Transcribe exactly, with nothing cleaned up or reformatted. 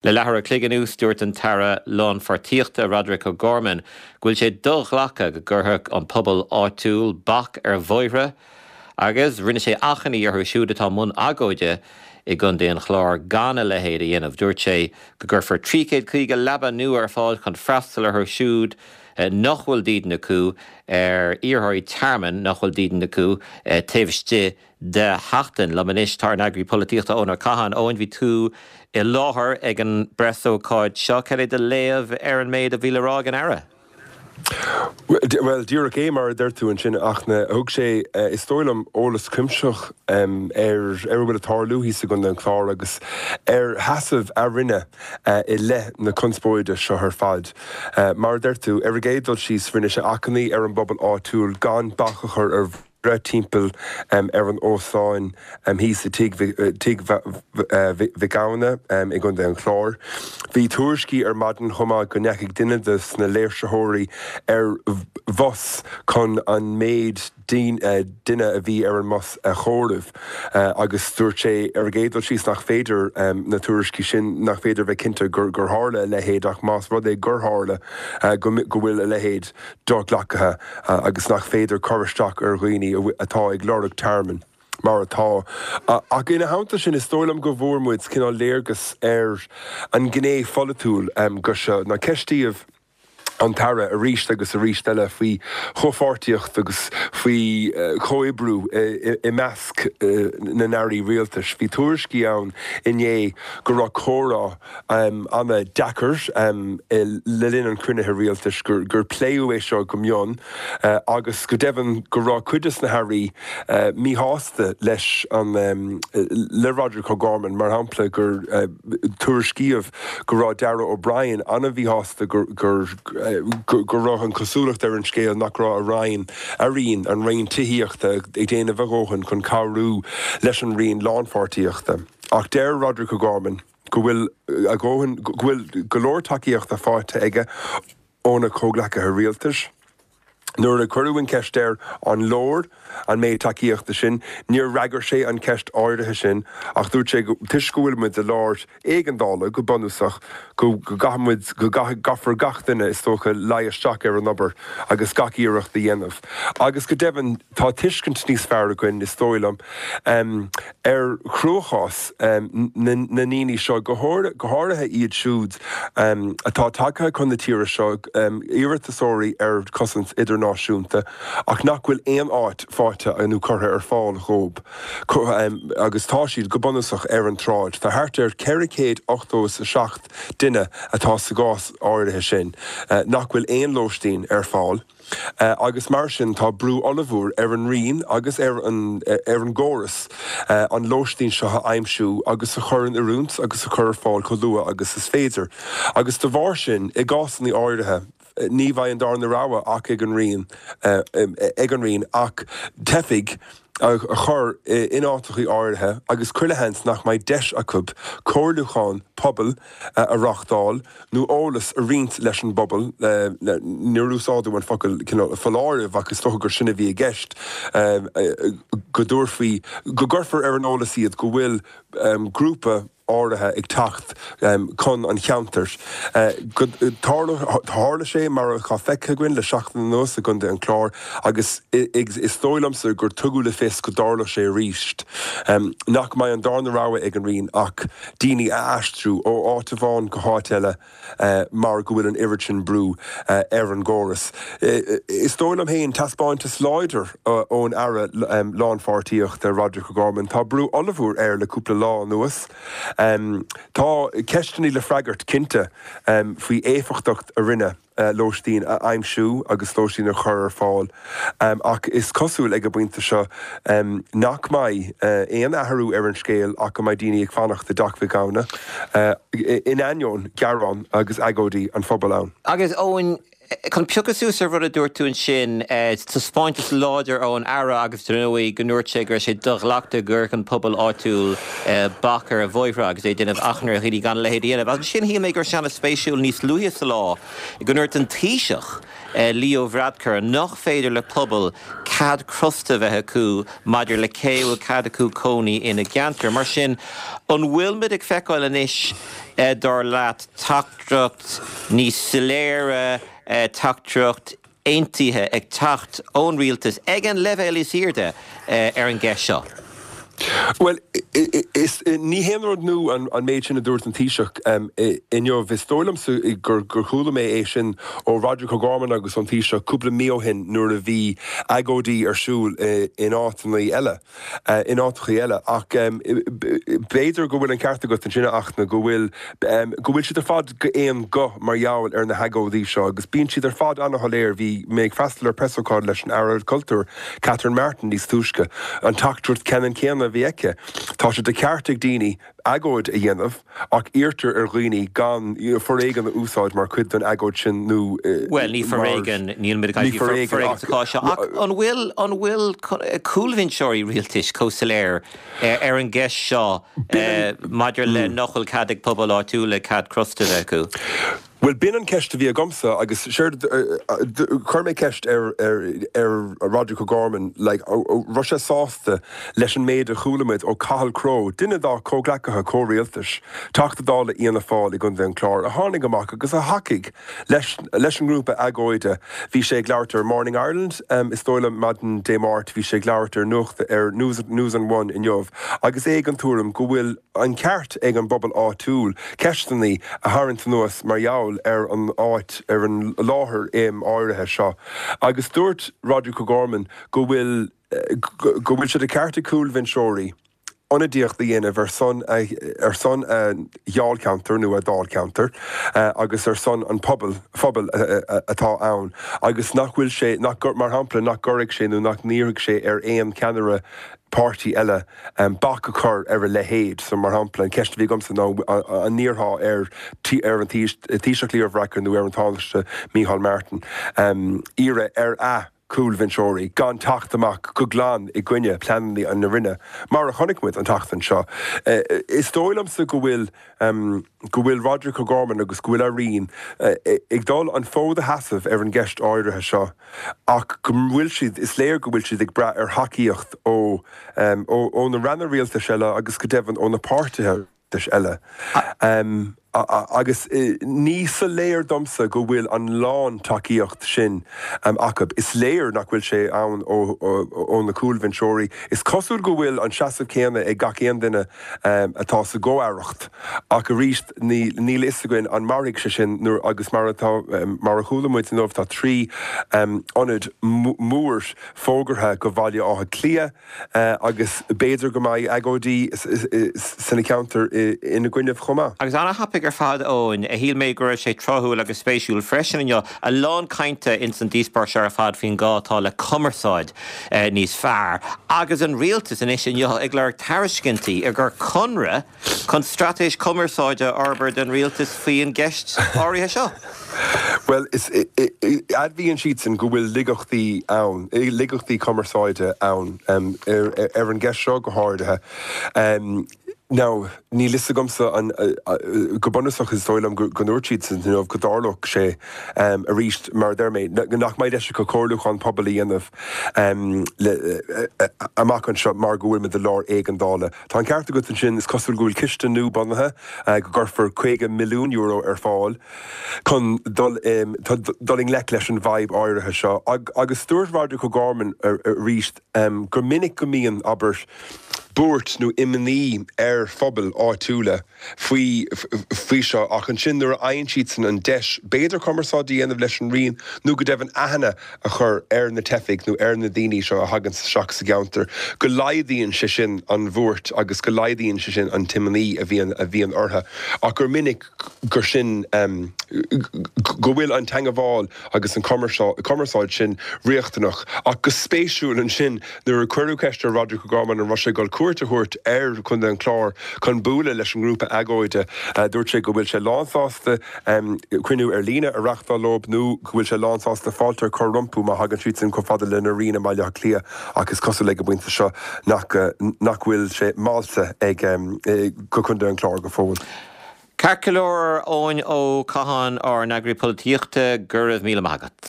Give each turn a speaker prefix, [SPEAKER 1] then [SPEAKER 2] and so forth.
[SPEAKER 1] Le leathuair an chloig anuas, dúirt an tAire Lánpháirtíochta Roderick O'Gorman go bhfuil sé do-ghlactha go gcuirfeadh an pobal áitiúil bac ar bhóithre agus rinne sé achainí orthu siúd atá i mbun agóide i gContae an Chláir gan a leithéid a dhéanamh. Dúirt sé go gcuirfear trí chéad caoga leaba nua ar fáil chun freastal orthu siúd nach bhfuil dídean acu, ar iarrthóirí tearmainn nach bhfuil dídean acu taobh istigh de sheachtain. Liom anois tá ár n-eagraí polaitíochta Eoin Ó Catháin. Eoin, bhí tú i láthair ag an bpreasócáid seo. Cad é do léamh ar an méid a bhí le rá ag an Aire?
[SPEAKER 2] Bhuel, díreach é mar a deir tú ansin, ach thug sé, is dóigh liom, eolas cuimsitheach ar ar a bhfuil ag tarlú thíos i gContae an Chláir agus ar sheasamh a Roinne i leith na conspóide seo ar fad. Mar a deir tú, ar an gcéad dul síos, rinne sé achainí ar an bpobal áitiúil gan bac a chur ar bhóithre timpeall ar an óstán thíos i Tigh Mhic Gabhann i gContae an Chláir. Bhí tuairiscí ar maidin chomh maith go ndeachaigh duine de na léirsitheoirí ar bhus chun an méid duine a bhí ar an mbus a chomhaireamh agus dúirt sé ar an gcéad dul síos nach féidir na tuairiscí sin, nach féidir bheith cinnte gur tharla a leithéid ach más rud é gur tharla go bhfuil a leithéid do-ghlactha agus nach féidir cur isteach ar dhaoine atá ag lorg tearmainn mar atá. Ach ina theannta sin, is dóigh liom go bhfuair muid cineál léargas ar an ghné pholaitiúil de seo. Nó ceistíodh an tAire arís agus arís eile faoi chomhpháirtíocht agus faoi chomhoibriú i measc na n-airí rialtais. Bhí tuairiscí ann inné go raibh comhrá an-deacair le linn an chruinnithe rialtais, gur pléadh é seo go mion agus go deimhin go raibh cuid de na hairí míshásta leis an le Roderick O'Gorman, mar shampla, gur tuairiscíodh go raibh Darragh O'Brien an-mhíshásta gur go raibh an chosúlacht ar an scéal nach raibh a roinn, a roinn, an Roinn Tithíochta, ag déanamh a dhóthain chun cabhrú leis an Roinn Lánpháirtíochta. Ach deir Roderick O'Gorman go bhfuil a dhóthain, go bhfuil go leor tacaíochta faighte aige óna chomhghleacaithe rialtais. Nuair a cuireadh an cheist air an leor an méid tacaíochta sin, níor fhreagair sé an cheist áirithe sin ach dúirt sé toisc go bhfuil muid i lár éigeandála go bunúsach, go gcaithfidh muid, go gcaithfear gach duine is dócha luí isteach ar an obair agus gach iarracht a dhéanamh. Agus go deimhin tá tuiscint níos fearr againn, is dóigh liom, ar chruachás na ndaoine seo, go háirithe iad siúd atá tagtha chun na tíre seo, iarratasóirí ar chosaint idirnáisiúnta, ach nach bhfuil aon áit faighte nó curtha ar fáil dhóibh agus tá siad go bunúsach ar an tsráid. Tá thart ar ceithre chéad ochtó is a seacht duine atá sa gcás áirithe sin nach bhfuil aon lóistín ar fáil agus mar sin tá brú ollmhór ar an Roinn agus ar an ar an gcóras an lóistín seo a aimsiú agus a chur in oiriúint agus a chur ar fáil chomh luath agus is féidir. Agus de bharr sin, i gcásanna áirithe, ní bheidh an darna rogha ach ag an Roinn ag an Roinn ach teifigh a chur in áiteachaí áirithe agus chuile sheans nach mbeidh deis acu comhairliúchán pobail a reáchtáil nó eolas a roinnt leis an bpobal, níor úsáideadh an focal cineál foláireamh ach is dócha gur sin a bhí i gceist, go dtabharfaí, go gcuirfear ar an eolas iad go bhfuil grúpa áirithe ag teacht chun an cheantair. Tharla sé, mar atá feicthe againn le seachtain anuas i gContae an Chláir, agus is dóigh liomsa gur tugadh le fios go dtarlódh sé arís, nach mbeidh an darna rogha ag an Roinn ach daoine a aistriú ó áit amháin go háit eile mar go bhfuil an oiread sin brú ar an gcóras. Is dóigh liom féin, taispeántas láidir ón Aire Lánpháirtíochta, Roderick O'Gorman. Tá brú ollmhór air le cúpla lá anuas. Tá ceisteanna le freagairt, cinnte, faoi éifeachtacht a Roinne lóistín a aimsiú agus lóistín a chur ar fáil ach is cosúil ag an bpointe seo nach mbeidh aon athrú ar an scéal ach go mbeidh daoine ag fanacht i dTeach Mhic Gabhann in ainneoin gearán agus agóidí an phobail ann.
[SPEAKER 1] Agus Eoin, chun piocadh suas ar rud a dúirt tú ansin, taispeántas láidir ón Aire agus dar ndóigh go ndúirt sé go raibh sé do-ghlactha go gcuirfeadh an pobal áitiúil bac ar bhóithre agus é ag déanamh achainí ar dhaoine gan a leithéid a dhéanamh. Agus ansin shíl mé go raibh sé an-spéisiúil níos luaithe sa lá go ndúirt an Taoiseach, Leo Varadkar, nach féidir le pobal cead crosta bheith acu maidir le cé bhfuil cead acu cónaí ina gceantar. Mar sin an bhfuil muid ag feiceáil anois eh, dar leat teachtaireacht níos soiléire eh, teachtaireacht aontaithe ag teacht ón rialtas ag an leibhéal is airde eh, ar an gceist seo.
[SPEAKER 2] Well is ní haon rud nua an, an méid sin a dúirt an Taoiseach um, inniu is dóigh liomsa gur gur chuala mé é sin ó Roderic O'Gorman agus an Taoiseach cúpla mí ó shin nuair a bhí agóidí ar siúl in áiteanna eile uh, in áiteacha eile ach um, b'fhéidir go bhfuil an ceart agat ansin ach na go bhfuil um, go bhfuil siad ar fad go aon guth mar gheall ar na hagóidí seo agus bíonn siad ar fad an-shoiléir bhí mé ag freastal ar preasócáid leis an Aire Cultúir Catherine Martin níos túisce an teachtaireacht ceannann céanna bhí aici. Tá sé de cheart ag daoine agóid a dhéanamh ach iarrtar ar dhaoine gan foréigean a úsáid mar chuid den agóid sin nó
[SPEAKER 1] Well ní foréigean níl foréigean ach an bhfuil an bhfuil cúlbhinseoirí rialtais chomh soiléir ar an gceist seo maidir le nach bhfuil cead ag pobal áitiúla cead crosta acu.
[SPEAKER 2] Well b'in an ceist a bhí agamsa agus chuir mé ceist ar ar ar Roderic O'Gorman like, raibh sé sásta leis an méid a chuala muid ó Cathal Crowe, duine dá chomhghleacaithe comhrialtais, Teachta Dála Fhianna Fáil i gContae an Chláir a tháinig amach agus a thacaigh leis, leis an ngrúpa agóide. Bhí sé ag labhairt ar Morning Ireland um, is dóigh liom maidin Dé Máirt bhí sé ag labhairt ar nuacht ar News, News on One inniu, agus é den tuairim go bhfuil an ceart ag an bpobal áitiúil ceisteanna a tharraingt anuas mar gheall ar an áit ar an láthair im áirithe seo. Agus dúirt Roderic O'Gorman go bhfuil go bhfuil sé de cheart ag cúlbhinseoirí ionadaíocht a dhéanamh ar son ar son dháilcheantar nó a dáilcheantar agus ar son an pobal phobal atá ann agus nach bhfuil sé nach mar shampla nach gcuirfeadh sé nó nach n-iarrfaidh sé ar aon cheannaire páirtí eile um, bac a chur ar a leithéid so mar shampla an ceist a bhí agamsa ná an n-iarrfá ar ar an Taoiseach Leo Varadkar nó ar an Tánaiste Micheál Martin um, iarraidh ar a cúlbhinseoirí gan teacht amach go glan i gcoinne pleananna an na Roinne mar a chonaic muid an tseachtain seo. Uh, is dóigh liomsa go bhfuil um, go bhfuil Roderic O'Gorman agus go bhfuil a roinn uh, ag dul an fód a sheasamh ar an gceist áirithe seo ach go bhfuil siad is léir go bhfuil siad ag brath ar thacaíocht ó um, ó, ó na ranna rialtais eile agus go deimhin ó na páirtithe eile. Um, agus ní soiléir domsa go bhfuil an lántacaíocht sin um, acu. Is léir nach bhfuil sé ann ó, ó, ó na cúlbhinseoirí. Is cosúil go bhfuil an seasamh céanna ag gach aon duine um, atá sa gcomh-aireacht ach arís níl a fhios againn an mairfidh sé sin nuair agus mar atá um, mar a chuala muid inniu tá trí um, ionad mór fógartha go Bhaile Átha Cliath uh, agus b'fhéidir go mbeidh agóidí sna ceantair ina gcoinne chomh maith.
[SPEAKER 1] Agus an-thapaidh ar fad Eoin a shíl mé go raibh sé tráthúil agus spéisiúil freisin inniu a lán cainte ins an díospóireacht ar fad faoin gá atá le cumarsáid eh, níos fearr. Agus an rialtas anois inniu ag lorg tairiscintí ar gur conradh chun straitéis cumarsáide a fhorbairt den rialtas faoin gceist áirithe seo.
[SPEAKER 2] Well is admhaíonn siadsan go bhfuil laigeachtaí ann, laigeachtaí cumarsáide ann um, ar, ar an gceist seo go háirithe. Um, Now, níl a fhios agamsa an go bunúsach is dóigh liom go ndúirt siad inniu go dtarlódh sé um, arís mar deir mé nach mbeidh deis acu comhairliúchán pobail a dhéanamh um, amach anseo mar go bhfuil muid i lár éigeandála. Tá an ceart agat ansin is cosúil go bhfuil ciste nua bunaithe uh, go gcuirfear caoga milliún euro ar fáil chun dul um, dul i ngleic leis an bhfadhb áirithe seo. Ag, agus dúirt Roderic O'Gorman arís um, gur minic go mbíonn abair buairt nó imní ar phobal áitiúla faoi faoi seo ach ansin nuair a fhaigheann siadsan an deis b'fhéidir cumarsáid a dhéanamh leis an Roinn nó go deimhin aithne a chur ar na teifigh nó ar na daoine seo a thagann isteach sa gceantar go laghdaíonn sé sin an bhuairt agus go laghdaíonn sé sin an t-imní a bhíonn a bhíonn orthu ach gur minic gur sin um, go bhfuil an teagmháil agus an cumarsáid sin riachtanach ach go spéisiúil ansin nuair a cuireadh ceist ar Roderic O'Gorman an raibh sé ag dul cuairt a thabhairt ar Chontae an Chláir chun bualadh leis an ngrúpa agóide dúirt sé go bhfuil sé lánsásta um, cruinniú ar líne a reáchtáil leo nó go bhfuil sé lánsásta fáilte a chur rompu má thagann siad sin chomh fada lena roinn i Baile Átha Cliath agus cosúil ag an bpointe seo nach nach bhfuil sé molta ag um, go Contae an Chláir go fóill.
[SPEAKER 1] Ceart go leor Eoin Ó Catháin ár n-eagraí polaitíochta go raibh míle maith agat.